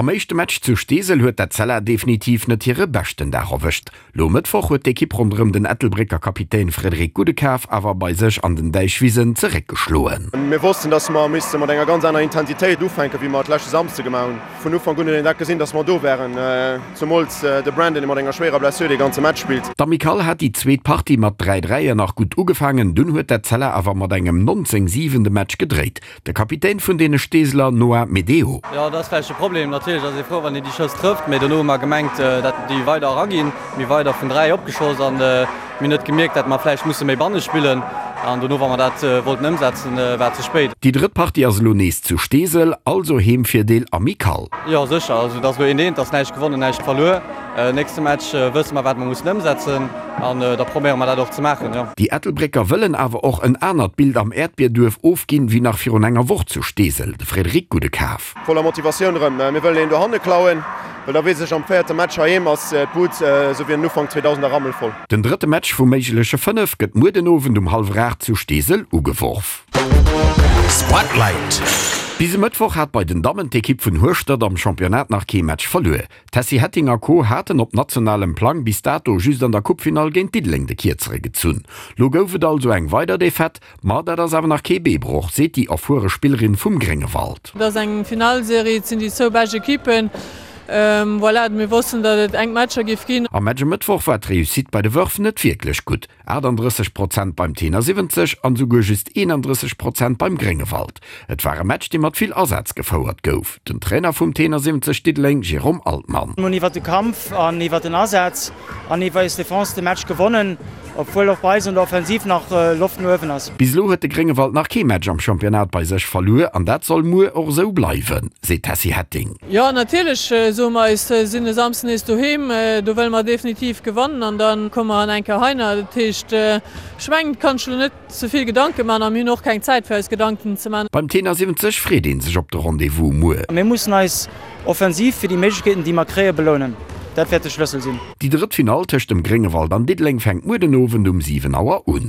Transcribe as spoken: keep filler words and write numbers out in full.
Am éischte Match zu Steesel huet d'Etzella definitiv net hire beschten Dag erwëscht. Lo e Mëttwoch huet d'Ekipp ronderëm den Ettelbrécker Kapitän Frédéric Goudekaf awer bei sech an den Däichwisen zeréckgeschloen. Mir wossten, dass mer misste mat enger ganz aner Intensitéit ufänken, wéi mer et leschte Samsde gemaach hunn. Vun Ufank un huet een dat gesinn, dass mer do waren, zemools de Brandon, dee mat enger schwéierer Blessure dee ganze Match spillt. D'Amicale hat déi zweet Partie mat dräi Dräier nach gutt ugefaangen, dunn huet d'Etzella awer mat engem nonzéng siwen de Match gedréit. De Kapitän vun deene Steeseler Noah Medeo. Jo, dat ass vläicht e Problem. Natierlech ass ee frou, wann een déi Schëss trëfft, mee dono hu mer gemengt, dat déi weider eraginn. Mir weider vun dräi opgeschoss an mir hunn net gemierkt, dat mer vläicht musse méi banne spillen an dono, wa mer dat wollten ëmsetzen, war et ze spéit. Déi drëtt Partie ass elo nees zu Steesel, also Heemvirdeel Amicale. Jo, sécher. Also et ass elo eent eent, et ass näischt gewonnen, näischt verluer. Nächste Match wësse mer, wat mer mussen ëmsetzen an da probéiere mer dat och ze maachen, jo. Déi Ettelbrécker wëllen awer och en anert Bild am Äerdbierduerf ofginn, wéi nach virun enger Woch zu Steesel. De Frédéric Goudekaf. Voller Motivatioun erëm. Mir wëllen een dohanne klauen, well da weess ech, am véierte Match heiheem ass d'Bud esou wéi en Ufank zweedausend a rammelvoll. Den drëtte Match vu méigleche fënnef gëtt muer den Owend um hallwer aacht zu Steesel ugeworf. Spotlight. Bis e Mëttwoch hat bei den Dammen d'Ekipp vun Hueschtert am Championnat nach kee Match verluer. D'Tessy Hetting a Co. Haten op nationalem Plang bis dato just an der Coupefinall géint Diddeleng de Kierzere gezunn. Lo gouf et also eng weider Defaite, ma dat ass awer nach kee Beebroch, seet déi erfuere Spillerin vum Gréngewald. Et ass eng Finallserie, et sinn déi zwou bescht Ekippen. Voilà, mir wossten, datt et enk Matcher géif ginn. Am Match e Mëttwoch war d'Reussite bei de Wërf net wierklech gutt, achtandrësseg Prozent beim Tenor siwwenzeg an esouguer just eenandrësseg Prozent beim Gréngewald. Et war e Match, dee mat vill Asaz gefouert gouf. Den Trainer vum Tenor siwwenzeg Diddeleng, Jérôme Altmann. Mir hunn iwwer de Kampf an iwwer den Asaz an iwwer eis Defense de Match gewonnen, obwuel och bei eis an der Offensiv nach Loft no uewen ass. Bis elo huet de Gréngewald nach kee Match am Championnat bei sech verluer an dat soll muer och esou bleiwen, seet d'Tessy Hetting. Jo, natierlech soe mer eis, sinn e Samsden nees doheem, do wëlle mer definitiv gewannen an da komme mer an eng Kéier heiner. Dat heescht, ech mengen, et kann ech elo net ze vill Gedanke man a mir hunn och keng Zäit fir eis Gedanken ze man. Beim Tenor siwwenzeg freet ee sech op de Rendez-vous muer. Mir mussen eis offensiv fir déi Méiglechkeeten, déi mer kréien, belounen. Dat wäert de Schlëssel sinn. Déi drëtt Finall tëscht dem Gréngewald an Diddeleng fänkt muer den Owend um siwen Auer un.